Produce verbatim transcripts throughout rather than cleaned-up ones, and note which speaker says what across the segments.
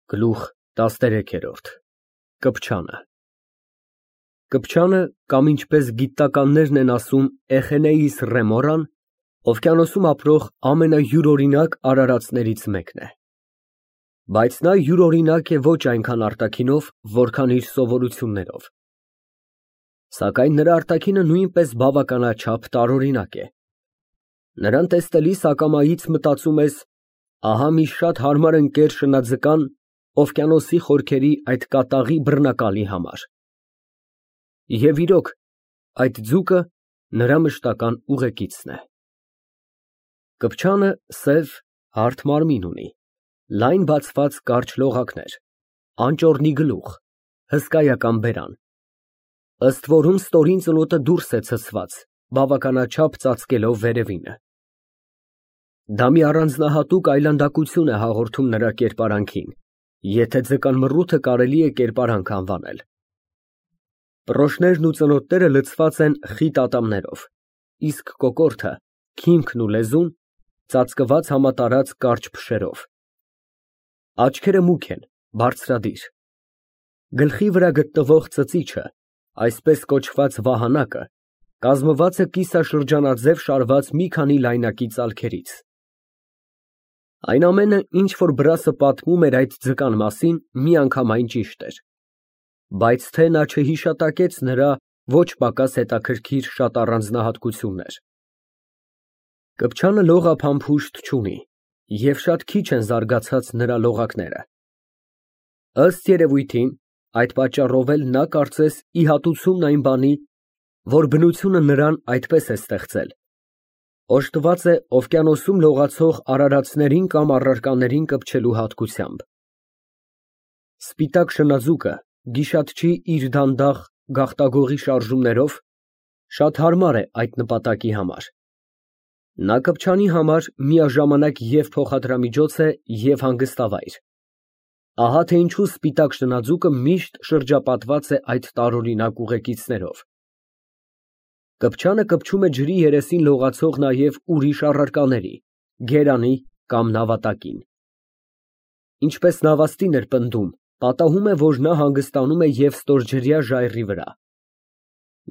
Speaker 1: Գլուխ տասներեքերորդ Կպչանը Կպչանը, կամ ինչպես գիտնականներն են ասում Էխենեիս Ռեմորան, օվկիանոսում ապրող ամենայուրօրինակ արարածներից մեկն է։ Բայց նա յուրօրինակ է ոչ այնքան արտաքինով, որքան իր սովորություններով։ Սակայն նրա արտաքինը նույնպես բավականաչափ տարօրինակ է։ Նրան տեսնելիս ակամայից մտածում ես. ահա մի շատ հարմար ընկեր շնաձկան օվկիանոսի խորքերի այդ կատաղի բռնակալի համար։ Եվ իրոք, այդ ձուկը նրա մշտական ուղեկիցն է։ Կպչանը սև, հարթ մարմին ունի, լայն բացված կարճ լողակներ, անճոռնի գլուխ, հսկայական բերան, ըստ որում ստորին ծնոտը դուրս է ցցված, բավականաչափ ծածկելով վերևինը։ Դա մի առանձնահատուկ այլանդակություն է հաղորդում նրա կերպարանքին, եթե ձկան մռութը կարելի է կերպարանք անվանել։ Պռոշներն ու ծնոտները լցված են խիտ ատամներով, իսկ կոկորդը, քիմքն ու լեզուն ծածկված համատարած կարճ փշերով։ Աչքերը մուգ են, բարձրադիր։ Գլխի վրա գտնվող ծծիչը, այսպես կոչված վահանակը, կազմված է կիսաշրջանաձև շարված մի քանի լայնակի ծալքերից։ Այն ամենը, ինչ որ Բրասը պատմում էր այդ ձկան մասին, միանգամայն ճիշտ էր, բայց թե նա չհիշատակեց նրա ոչ պակաս հետաքրքիր շատ առանձնահատկություններ։ Կպչանը լողափամփուշտ չունի, և շատ քիչ են զարգացած նրա լողակները։ Ըստ երևույթին, այդ պատճառով էլ նա կարծես ի հատուցումն այն բանի, որ բնությունը նրան այդպես է ստեղծել, օժտված է օվկիանոսում լողացող արարածներին կամ առարկաներին կպչելու հատկությամբ։ Սպիտակ շնաձուկը գիշատչի իր դանդաղ գաղտագողի շարժումներով շատ հարմար է այդ նպատակի համար։ Նա կպչանի համար միաժամանակ և փոխադրամիջոց է և հանգստավայր։ Ահա թե ինչու սպիտակ շնաձուկը միշտ շրջապատված է այդ տարօրինակ ուղեկիցներով։ Կպչանը կպչում է ջրի երեսին լողացող նաև ուրիշ առարկաների, գերանի կամ նավատակին։ Ինչպես նավաստին էր պնդում, պատահում է, որ նա հանգստանում է և ստորջրյա ժայռի վրա։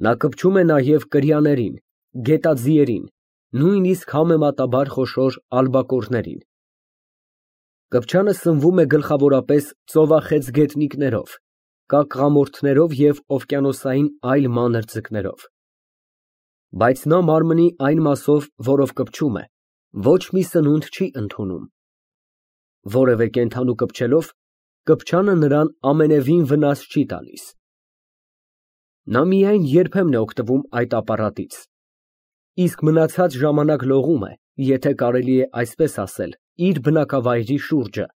Speaker 1: Նա կպչում է նաև կրիաներին, գետաձիերին, նույնիսկ համեմատաբար խոշոր ալբակորներին։ Կպչանը սնվում է գլխավորապես ծովախեցգետնիկներով, կակղամորթներով և օվկիանոսային այլ մանր ձկներով։ Բայց նա մարմնի այն մասով, որով կպչում է, ոչ մի սնունդ չի ընդունում։ Որևէ կենդանու կպչելով, կպչանը նրան ամենևին վնաս չի տալիս։ Նա միայն երբեմն է օգտվում այդ ապարատից, իսկ մնացած ժամանակ լողում է, եթե կարելի է այսպես ասել, իր բնակավայրի շուրջը,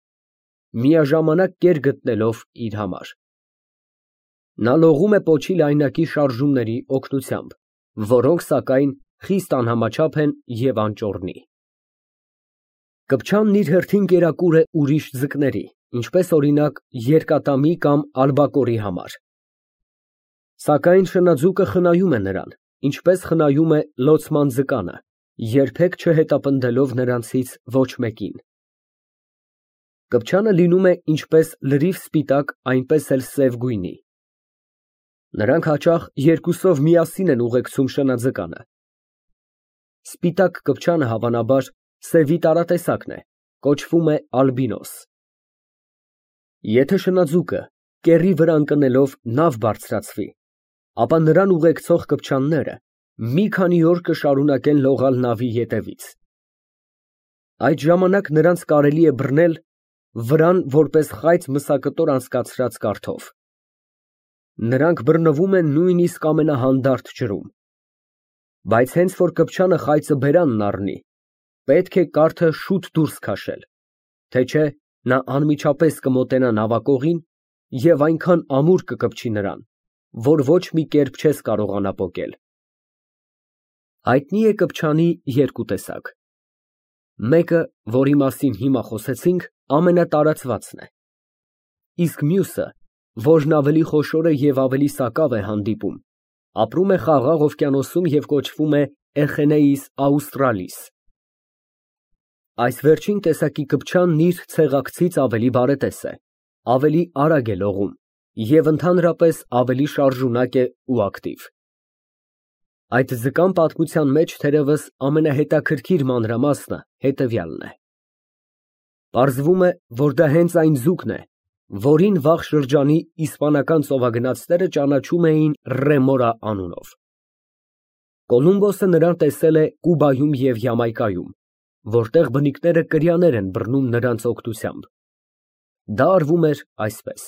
Speaker 1: միաժամանակ կեր գտնելով իր համար։ Նա լողում է պոչի լայնակի շարժումների օգնությամբ, որոնք, սակայն, խիստ անհամաչափ են և անճոռնի։ Կպչանն իր հերթին կերակուր է ուրիշ ձկների, ինչպես օրինակ երկատամի կամ ալբակորի համար։ Սակայն շնաձուկը խնայում է նրան, ինչպես խնայում է լոցման ձկանը, երբեք չհետապնդելով նրանցից ոչ մեկին։ Կպչանը լինում է ինչպես լրիվ սպիտակ, այնպես էլ սև գույնի։ Նրանք հաճախ երկուսով միասին են ուղեկցում շնաձկանը։ Սպիտակ կպչանը, հավանաբար, սևի տարատեսակն է, կոչվում է ալբինոս։ Եթե շնաձուկը, կեռի վրա ընկնելով, նավ բարձրացվի, ապա նրան ուղեկցող կպչանները մի քանի օր կշարունակեն լողալ նավի ետևից։ Այդ ժամանակ նրանց կարելի է բռնել վրան որպես խայծ մսակտոր անցկացրած կարթով։ Նրանք բռնվում են նույնիսկ ամենահանդարտ ջրում։ Բայց հենց որ կպչանը խայծը բերանն առնի, պետք է կարթը շուտ դուրս քաշել, թե չէ նա անմիջապես կմոտենա նավակողին և այնքան ամուր կկպչի նրան, որ ոչ մի կերպ չես կարողանա պոկել։ Հայտնի է կպչանի երկու տեսակ։ Մեկը, որի մասին հիմա խոսեցինք, ամենատարածվածն է, իսկ մյուսը, որն ավելի խոշոր է և ավելի սակավ է հանդիպում, ապրում է Խաղաղ օվկիանոսում և կոչվում է Էխենեիս աուստրալիս։ Այս վերջին տեսակի կպչանն իր ցեղակցից ավելի բարետես է, ավելի արագ է լողում և ընդհանրապես ավելի շարժունակ է ու ակտիվ։ Այդ ձկան պատմության մեջ թերևս ամենահետաքրքիր մանրամասնը հետևյալն է. պարզվում է, որ դա հենց այն ձուկն է, որին վաղ շրջանի իսպանական ծովագնացները ճանաչում էին Ռեմորա անունով։ Կոլումբոսը նրան տեսել է Կուբայում և Յամայկայում, որտեղ բնիկները կրյաներ են բռնում նրանց օգնությամբ։ Դա արվում էր այսպես.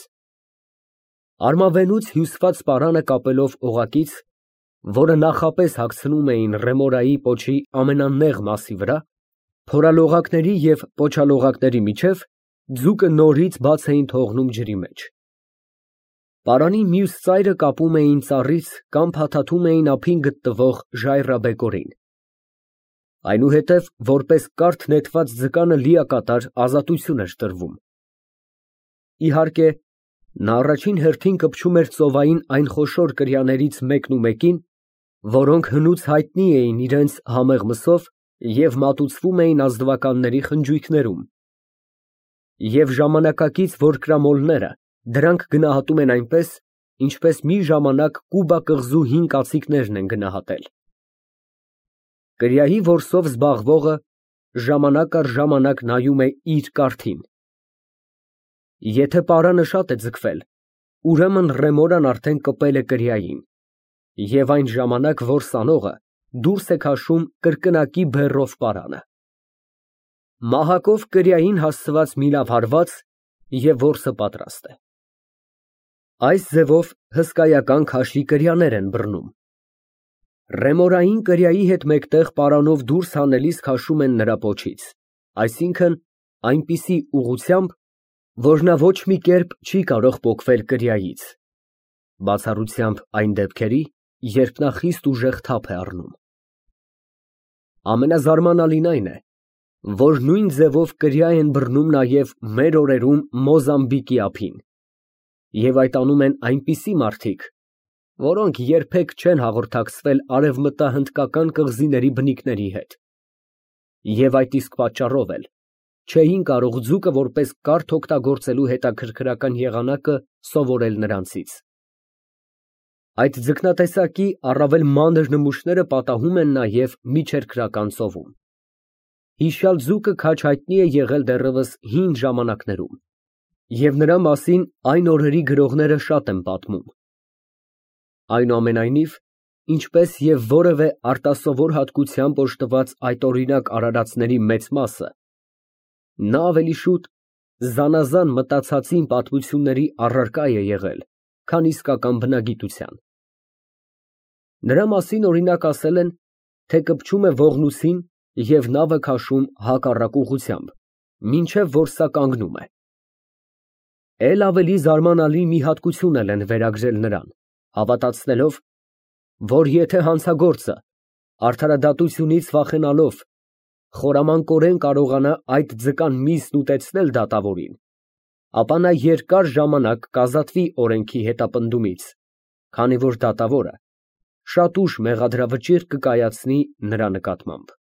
Speaker 1: Արմավենուց հյուսված պարանը կապելով օղակից, որը նախապես հագցնում էին Ռեմորայի պոչի ամենանեղ մասի վրա, փորալողակների և պոչալողակների միջև ձուկը նորից բաց էին թողնում ջրի մեջ։ Պարանի մյուս ծայրը կապում էին ծառից կամ փաթաթում էին ափին գտնվող ժայռաբեկորին։ Այնուհետև որպես կարթ նետված ձկանը լիակատար ազատություն էր տրվում։ Իհարկե, նա առաջին հերթին կպչում էր ծովային այն խոշոր կրյաներից մեկն ու մեկին, որոնք հնուց հայտնի էին իրենց համեղ մսով և մատուցվում էին ազնվականների խնջույքներում, և ժամանակակից որկրամոլները դրանք գնահատում են այնպես, ինչպես մի ժամանակ Կուբա կղզու հին կացիկներն են գնահատել։ Կրիայի որսով զբաղվողը ժամանակ առ ժամանակ նայում է իր կարթին։ Եթե պարանը շատ է ձգվել, ուրեմն Ռեմորան արդեն կպել է կրիային, և այն ժամանակ որսանողը դուրս է քաշում կրկնակի բեռով պարանը։ Մահակով կրիային հասցված մի լավ հարված, և որսը պատրաստ է։ Այս ձևով հսկայական քաշի կրյաներ են բռնում։ Ռեմորային կրիայի հետ մեկտեղ պարանով դուրս հանելիս քաշում են նրա պոչից, այսինքն այնպիսի ուղղությամբ, որ նա ոչ մի կերպ չի կարող պոկվել կրիայից, բացառությամբ այն դեպքերի, երբ նա խիստ ուժեղ թափ է առնում։ Ամենազարմանալին այն է, որ նույն ձևով կրիա են բռնում նաև մեր օրերում Մոզամբիկի ափին, և այդ անում են այնպիսի մարդիկ, որոնք երբեք չեն հաղորդակցվել արևմտահնդկական կղզիների բնիկների հետ, և այդ իսկ պատճառով էլ չէին կարող ձուկը որպես կարթ օգտագործելու հետաքրքրական եղանակը սովորել նրանցից։ Այդ ձկնատեսակի առավել մանր նմուշները պատահում են նաև Միջերկրական ծովում։ Հիշյալ ձուկը քաջ հայտնի է եղել դեռևս հին ժամանակներում, և նրա մասին այն օրերի գրողները շատ են պատմում։ Այնուամենայնիվ, ինչպես և որևէ արտասովոր հատկությամբ օժտված այդօրինակ արարածների մեծ մասը, նա ավելի շուտ զանազան մտածածին պատմությունների առարկա է եղել, քան իսկական բնագիտության։ Նրա մասին օրինակ ասել են, թե կպչում է ողնուսին և նավը քաշում հակառակ ուղղությամբ, մինչև որ սա կանգնում է։ Էլ ավելի զարմանալի մի հատկություն էլ են վերագրել նրան, հավատացնելով, որ եթե հանցագործը արդարադատությունից վախենալով խորամանկորեն կարողանա այդ ձկան միսն ուտեցնել դատավորին, ապա նա երկար ժամանակ կազատվի օրենքի հետապնդումից, քանի որ դատավորը շատ ուշ մեղադրավճիռ կկայացնի նրա նկատմամբ։